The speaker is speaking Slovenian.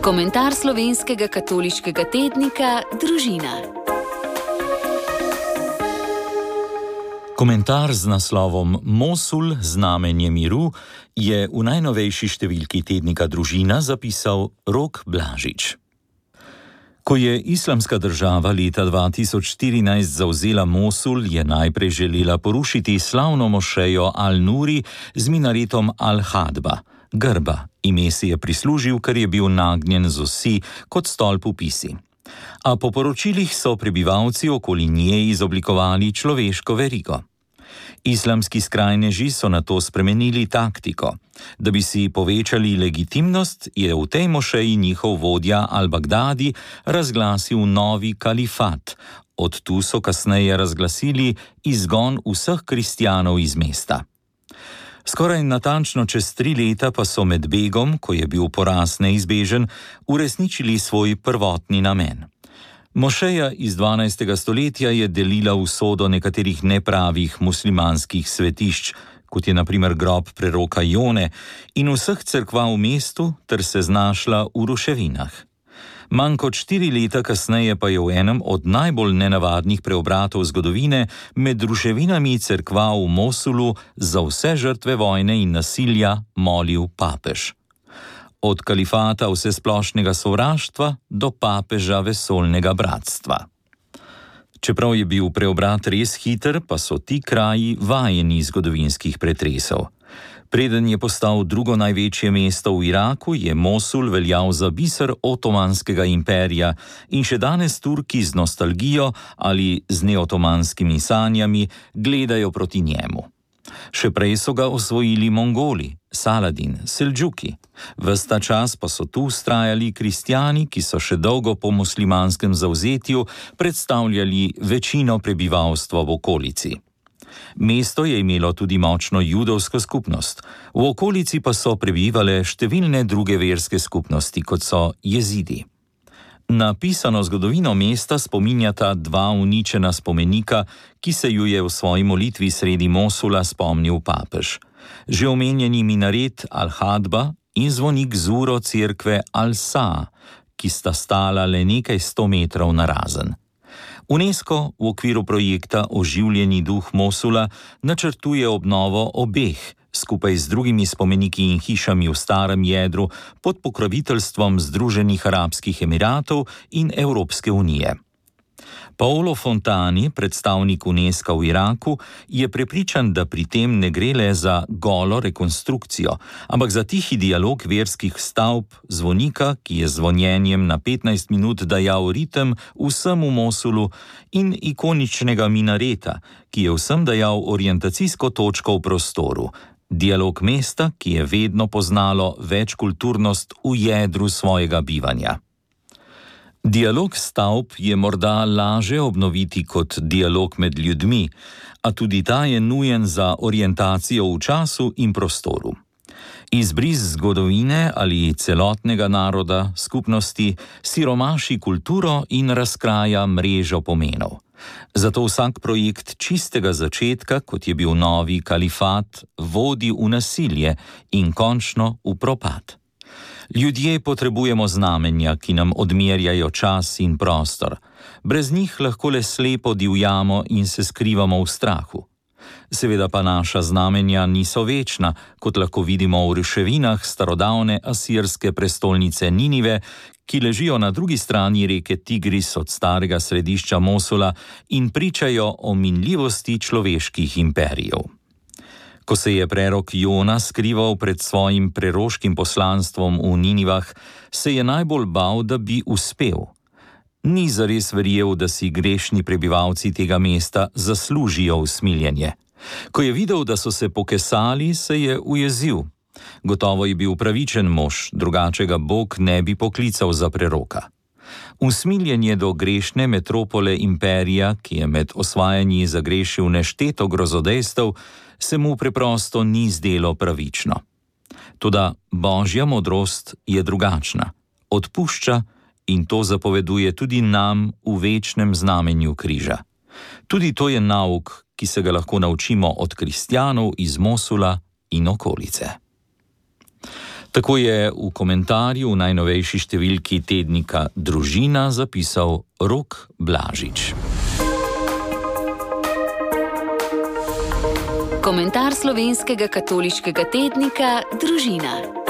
Komentar slovenskega katoliškega tednika Družina. Komentar z naslovom Mosul, znamenje miru, je v najnovejši številki tednika Družina zapisal Rok Blažič. Ko je Islamska država leta 2014 zavzela Mosul, je najprej želela porušiti slavno mošejo Al-Nuri z minaretom Al-Hadba, grba. Ime si je prislužil, ker je bil nagnjen z osi kot stolp v pisi. A po poročilih so prebivalci okoli nje izoblikovali človeško verigo. Islamski skrajneži so nato spremenili taktiko. Da bi si povečali legitimnost, je v tej mošeji njihov vodja Al-Baghdadi razglasil novi kalifat. Od tu so kasneje razglasili izgon vseh kristjanov iz mesta. Skoraj natančno čez 3 leta pa so med begom, ko je bil poraz neizbežen, uresničili svoj prvotni namen. Mošeja iz 12. stoletja je delila usodo nekaterih nepravih muslimanskih svetišč, kot je na primer grob preroka Jone, in vseh cerkva v mestu, ter se znašla v ruševinah. Manj kot 4 leta kasneje pa je v enem od najbolj nenavadnih preobratov zgodovine med ruševinami cerkva v Mosulu za vse žrtve vojne in nasilja molil papež. Od kalifata vsesplošnega sovraštva do papeža vesoljnega bratstva. Čeprav je bil preobrat res hiter, pa so ti kraji vajeni zgodovinskih pretresov. Preden je postal drugo največje mesto v Iraku, je Mosul veljal za biser Otomanskega imperija in še danes Turki z nostalgijo ali z neotomanskimi sanjami gledajo proti njemu. Še prej so ga osvojili Mongoli, Saladin, Seldžuki. Ves ta čas pa so tu vztrajali kristjani, ki so še dolgo po muslimanskem zavzetju predstavljali večino prebivalstva v okolici. Mesto je imelo tudi močno judovsko skupnost, v okolici pa so prebivale številne druge verske skupnosti, kot so jezidi. Na pisano zgodovino mesta spominjata 2 uničena spomenika, ki se ju je v svoji molitvi sredi Mosula spomnil papež. Že omenjeni minaret Al-Hadba in zvonik Zuro cerkve Al-Saa, ki sta stala le nekaj 100 metrov narazen. UNESCO v okviru projekta Oživljeni duh Mosula načrtuje obnovo obeh, skupaj z drugimi spomeniki in hišami v starem jedru pod pokroviteljstvom Združenih arabskih emiratov in Evropske unije. Paolo Fontani, predstavnik UNESCO v Iraku, je prepričan, da pri tem ne gre le za golo rekonstrukcijo, ampak za tihi dialog verskih stavb, zvonika, ki je zvonjenjem na 15 minut dajal ritem vsem v Mosulu, in ikoničnega minareta, ki je vsem dajal orientacijsko točko v prostoru. Dialog mesta, ki je vedno poznalo večkulturnost v jedru svojega bivanja. Dialog stavb je morda laže obnoviti kot dialog med ljudmi, a tudi ta je nujen za orientacijo v času in prostoru. Izbris zgodovine ali celotnega naroda, skupnosti, siromaši kulturo in razkraja mrežo pomenov. Zato vsak projekt čistega začetka, kot je bil novi kalifat, vodi v nasilje in končno v propad. Ljudje potrebujemo znamenja, ki nam odmerjajo čas in prostor. Brez njih lahko le slepo divjamo in se skrivamo v strahu. Seveda pa naša znamenja niso večna, kot lahko vidimo v ruševinah starodavne asirske prestolnice Ninive, ki ležijo na drugi strani reke Tigris od starega središča Mosula in pričajo o minljivosti človeških imperijev. Ko se je prerok Jona skrival pred svojim preroškim poslanstvom v Ninivah, se je najbolj bal, da bi uspel. Ni zares verjel, da si grešni prebivalci tega mesta zaslužijo usmiljenje. Ko je videl, da so se pokesali, se je ujezil. Gotovo je bil pravičen mož, drugače ga Bog ne bi poklical za preroka. Usmiljenje do grešne metropole imperija, ki je med osvajanji zagrešil nešteto grozodejstev, se mu preprosto ni zdelo pravično. Toda božja modrost je drugačna, odpušča in to zapoveduje tudi nam v večnem znamenju križa. Tudi to je nauk, ki se ga lahko naučimo od kristjanov iz Mosula in okolice. Tako je v komentarju v najnovejši številki tednika Družina zapisal Rok Blažič. Komentar slovenskega katoliškega tednika Družina.